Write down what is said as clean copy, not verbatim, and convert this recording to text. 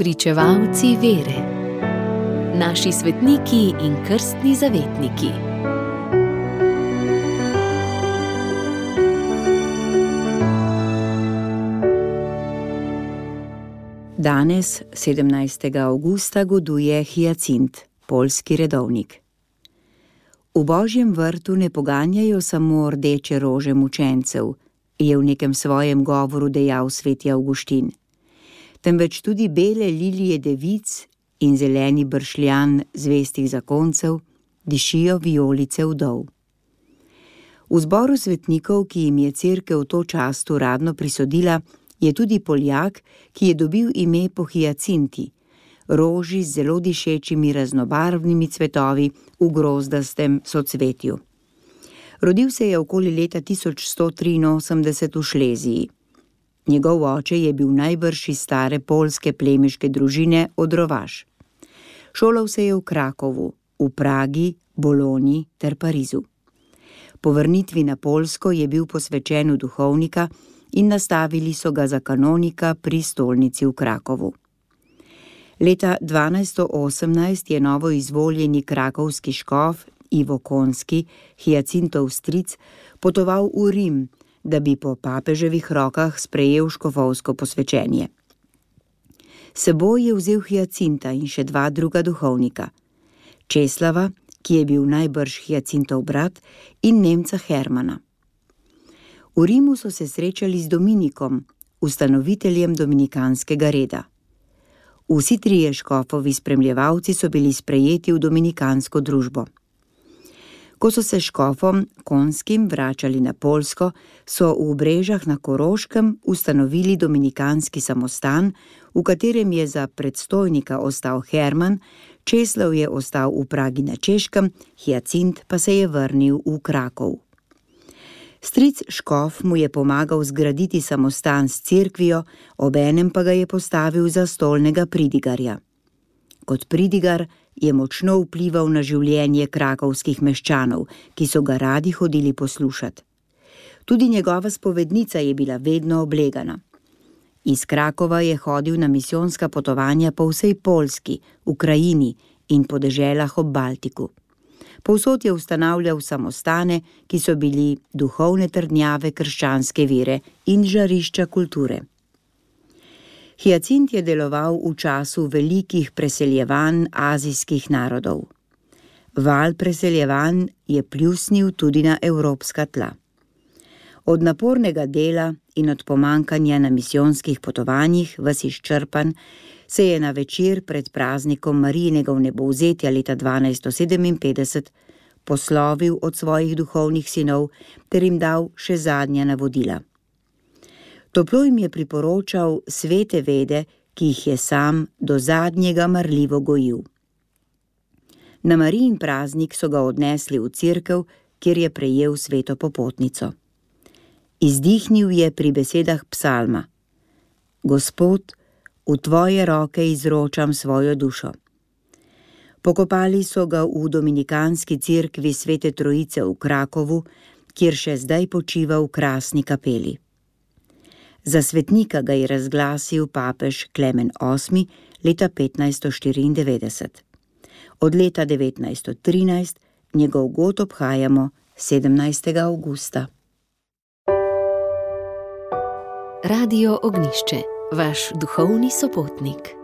Spričevalci vere. Naši svetniki in krstni zavetniki. Danes, 17. avgusta, goduje Hijacint, poljski redovnik. V Božjem vrtu ne poganjajo samo rdeče rože mučencev, je v nekem svojem govoru dejal sveti Avguštin, temveč tudi bele lilije devic in zeleni bršljan zvestih zakoncev dišijo vijolice vdov. V zboru svetnikov, ki jim je cerkev to čast uradno prisodila, je tudi Poljak, ki je dobil ime po Hijacinti, roži z zelo dišečimi raznobarvnimi cvetovi v grozdastem socvetju. Rodil se je okoli leta 1183 v Šleziji. Njegov oče je bil najbrž iz stare poljske plemiške družine Odrovaš. Šolal se je v Krakovu, v Pragi, Bologni ter Parizu. Po vrnitvi na Poljsko je bil posvečen v duhovnika in nastavili so ga za kanonika pri stolnici v Krakovu. Leta 1218 je novo izvoljeni krakovski škof Ivo Konski, Hijacintov stric, potoval v Rim, da bi po papeževih rokah sprejel škofovsko posvečenje. S seboj je vzel Hijacinta in še dva druga duhovnika, Česlava, ki je bil najbrž Hijacintov brat, in Nemca Hermana. V Rimu so se srečali z Dominikom, ustanoviteljem dominikanskega reda. Vsi trije škofovi spremljevalci so bili sprejeti v dominikansko družbo. Ko so se škofom Konskim vračali na Poljsko, so v Brežah na Koroškem ustanovili dominikanski samostan, v katerem je za predstojnika ostal Herman, Česlav je ostal v Pragi na Češkem, Hijacint pa se je vrnil v Krakov. Stric škof mu je pomagal zgraditi samostan s cerkvijo, obenem pa ga je postavil za stolnega pridigarja. Kot pridigar je močno vplival na življenje krakovskih meščanov, ki so ga radi hodili poslušat. Tudi njegova spovednica je bila vedno oblegana. Iz Krakova je hodil na misijonska potovanja po vsej Poljski, Ukrajini in po deželah ob Baltiku. Povsod je ustanavljal samostane, ki so bili duhovne trdnjave krščanske vere in žarišča kulture. Hijacint je deloval v času velikih preseljevanj azijskih narodov. Val preseljevanj je pljusnil tudi na evropska tla. Od napornega dela in od pomankanja na misijonskih potovanjih ves izčrpan, se je na večer pred praznikom Marijinega vnebovzetja leta 1257 poslovil od svojih duhovnih sinov ter jim dal še zadnja navodila. Toplo jim je priporočal svete vede, ki jih je sam do zadnjega marljivo gojil. Na Marijin praznik so ga odnesli v cerkev, kjer je prejel sveto popotnico. Izdihnil je pri besedah psalma: Gospod, v tvoje roke izročam svojo dušo. Pokopali so ga v dominikanski cerkvi Svete Trojice v Krakovu, kjer še zdaj počiva v krasni kapeli. Za svetnika ga je razglasil papež Klemen VIII leta 1594. Od leta 1913 njegov god obhajamo 17. avgusta. Radio Ognjišče, vaš duhovni sopotnik.